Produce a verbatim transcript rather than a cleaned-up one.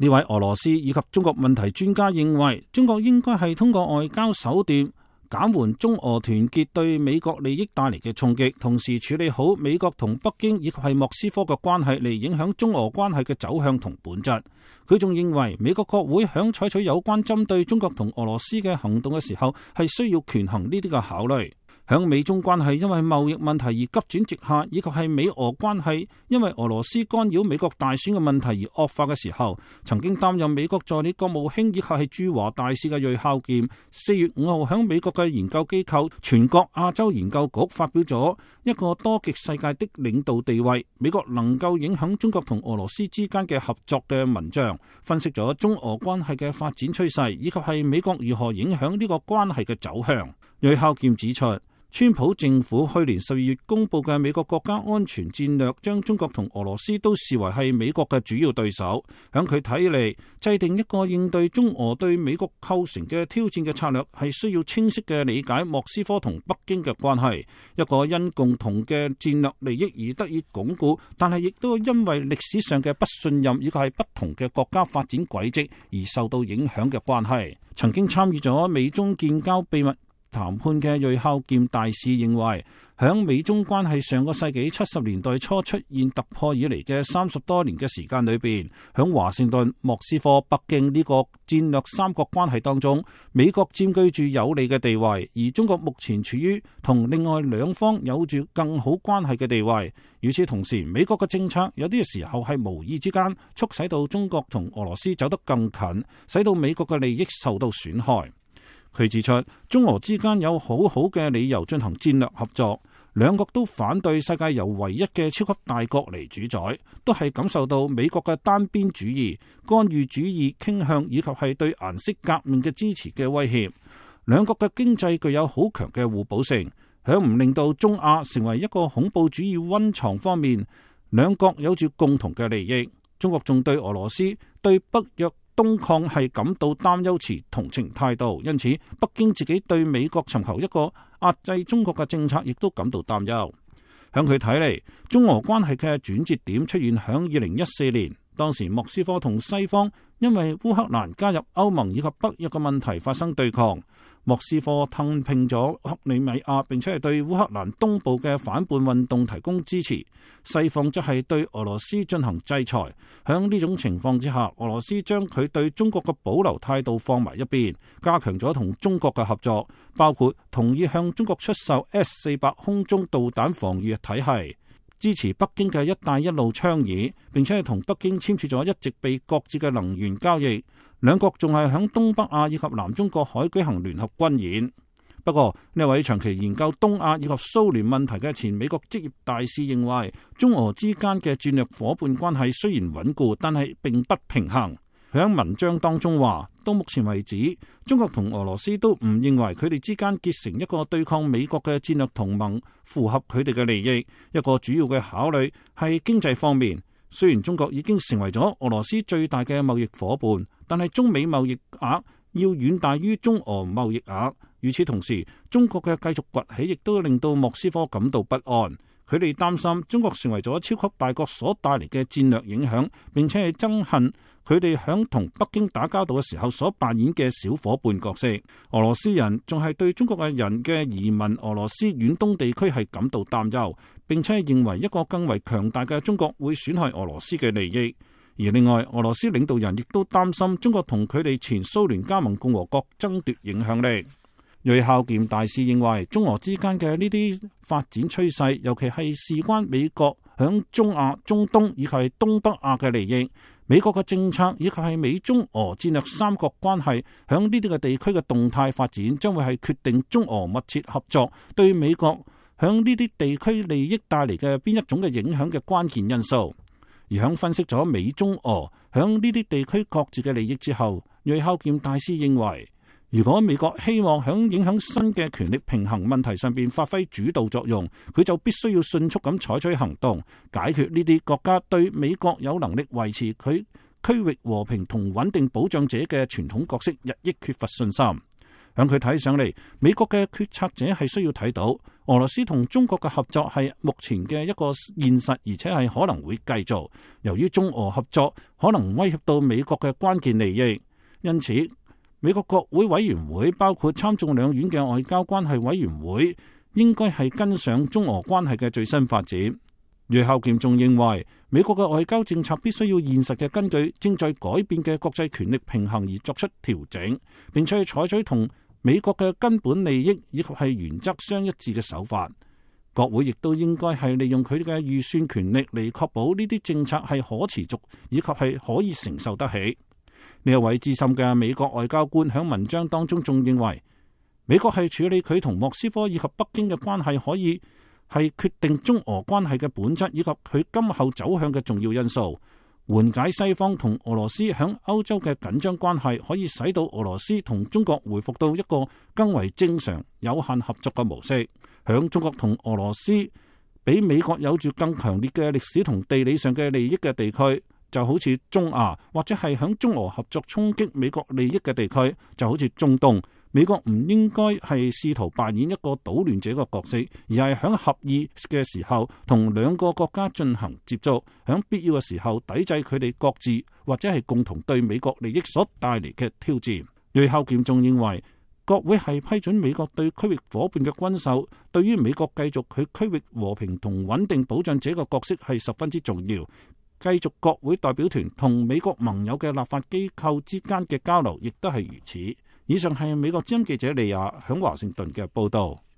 呢位俄羅斯以及中國問題專家認為，中國應該係通過外交手段減緩中俄團結對美國利益帶嚟嘅衝擊，同時處理好美國同北京以及係莫斯科嘅關係，嚟影響中俄關係嘅走向同本質。佢仲認為，美國國會響採取有關針對中國同俄羅斯嘅行動嘅時候，係需要權衡呢啲嘅考慮。響美中關係因為貿易問題而急轉直下，以及係美俄關係因為俄羅斯干擾美國大選嘅問題而惡化嘅時候，曾經擔任美國助理國務卿以及係駐華大使嘅銳孝儉，四月五號響美國嘅研究機構全國亞洲研究局發表咗一個多極世界的領導地位，美國能夠影響中國同俄羅斯之間嘅合作嘅文章，分析咗中俄關係嘅發展趨勢，以及係美國如何影響呢個關係嘅走向。銳孝儉指出，川普政府去年十二月公布嘅美國國家安全戰略，將中國同俄羅斯都視為係美國嘅主要對手。響佢睇嚟，制定一個應對中俄對美國構成嘅挑戰嘅策略，係需要清晰嘅理解莫斯科同北京嘅關係，一個因共同嘅戰略利益而得以鞏固，但係亦都因為歷史上嘅不信任以及係不同嘅國家發展軌跡而受到影響嘅關係。曾經參與咗美中建交秘密談判嘅銳孝儉大使認為，響美中關係上個世紀七十年代初出現突破以嚟嘅三十多年嘅時間裏邊，響華盛頓、莫斯科、北京呢個戰略三角關係當中，美國佔據住有利嘅地位，而中國目前處於同另外兩方有住更好關係嘅地位。與此同時，美國嘅政策有啲時候係無意之間促使到中國同俄羅斯走得更近，使到美國嘅利益受到損害。佢指出，中俄之間有好好嘅理由進行戰略合作，兩國都反對世界由唯一嘅超級大國嚟主宰，都係感受到美國嘅單邊主義、干預主義傾向以及係對顏色革命嘅支持嘅威脅。兩國嘅經濟具有好強嘅互補性，響唔令到中亞成為一個恐怖主義溫床方面，兩國有住共同嘅利益。中國仲對俄羅斯對北約東擴係感到擔憂，持同情態度，因此北京自己對美國尋求一個壓制中國嘅政策，亦都感到擔憂。響佢睇嚟，中俄關係嘅轉折點出現響二零一四年，當時莫斯科同西方因為烏克蘭加入歐盟以及北約嘅問題發生對抗。莫斯科吞併咗克里米亞，並且係對烏克蘭東部嘅反叛運動提供支持。西方則係對俄羅斯進行制裁。響呢種情況之下，俄羅斯將佢對中國嘅保留態度放埋一邊，加強咗同中國嘅合作，包括同意向中國出售 S 四百空中導彈防禦體系，支持北京嘅一帶一路倡議，並且係同北京簽署咗一直被擱置嘅能源交易。兩國仲係響東北亞以及南中國海舉行聯合軍演。不過呢位長期研究東亞以及蘇聯問題嘅前美國職業大使認為，中俄之間嘅戰略夥伴關係雖然穩固，但係並不平衡。佢喺文章當中話，到目前為止，中國同俄羅斯都唔認為佢哋之間結成一個對抗美國嘅戰略同盟符合佢哋嘅利益。一個主要嘅考慮係經濟方面。雖然中國已經成為咗俄羅斯最大嘅貿易夥伴，但係中美貿易額要遠大於中俄貿易額。與此同時，中國嘅繼續崛起亦都令到莫斯科感到不安。佢哋擔心中國成為咗超級大國所帶嚟嘅戰略影響，並且係憎恨佢哋響同北京打交道嘅時候所扮演嘅小夥伴角色。俄羅斯人仲係對中國嘅人嘅移民俄羅斯遠東地區係感到擔憂，並且係認為一個更為強大嘅中國會損害俄羅斯嘅利益。而另外，俄羅斯領導人亦都擔心中國同佢哋前蘇聯加盟共和國爭奪影響力。銳孝儉大使認為，中俄之間嘅呢啲發展趨勢，尤其係事關美國響中亞、中東以及係東北亞嘅利益。美國嘅政策以及係美中俄戰略三角關係響呢啲嘅地區嘅動態發展，將會係決定中俄密切合作對美國響呢啲地區利益帶嚟嘅邊一種嘅影響嘅關鍵因素。而響分析咗美中俄響呢啲地區各自嘅利益之後，銳孝儉大使認為，如果美國希望響影響新嘅權力平衡問題上邊發揮主導作用，佢就必須要迅速咁採取行動，解決呢啲國家對美國有能力維持佢區域和平同穩定保障者嘅傳統角色日益缺乏信心。響佢睇上嚟，美國嘅決策者係需要睇到俄羅斯同中國嘅合作係目前嘅一個現實，而且係可能會繼續。由於中俄合作可能威脅到美國嘅關鍵利益，因此美國國會委員會包括參眾兩院嘅外交關係委員會應該係跟上中俄關係嘅最新發展。呂孝劍仲認為，美國嘅外交政策必須要現實嘅根據正在改變嘅國際權力平衡而作出調整，並且採取同美國嘅根本利益以及係原則相一致嘅手法。國會亦都應該係利用佢哋嘅預算權力嚟確保呢啲政策係可持續以及係可以承受得起。呢一位資深嘅美國外交官喺文章當中仲認為，美國係處理佢同莫斯科以及北京嘅關係可以係決定中俄關係嘅本質以及佢今後走向嘅重要因素。緩解西方同俄羅斯響歐洲嘅緊張關係，可以使到俄羅斯同中國回復到一個更為正常、有限合作嘅模式。響中國同俄羅斯比美國有住更強烈嘅歷史同地理上嘅利益嘅地區，就好似中亞，或者係響中俄合作衝擊美國利益嘅地區，就好似中東。美國唔應該係試圖扮演一個搗亂者嘅角色，而係響合意嘅時候同兩個國家進行接觸，響必要嘅時候抵制佢哋各自或者係共同對美國利益所帶嚟嘅挑戰。呂孝劍仲認為，國會係批准美國對區域夥伴嘅軍售，對於美國繼續佢區域和平同穩定保障者嘅角色係十分之重要。繼續國會代表團同美國盟友嘅立法機構之間嘅交流，亦都係如此。以上係美國之音記者利亞響華盛頓嘅報道。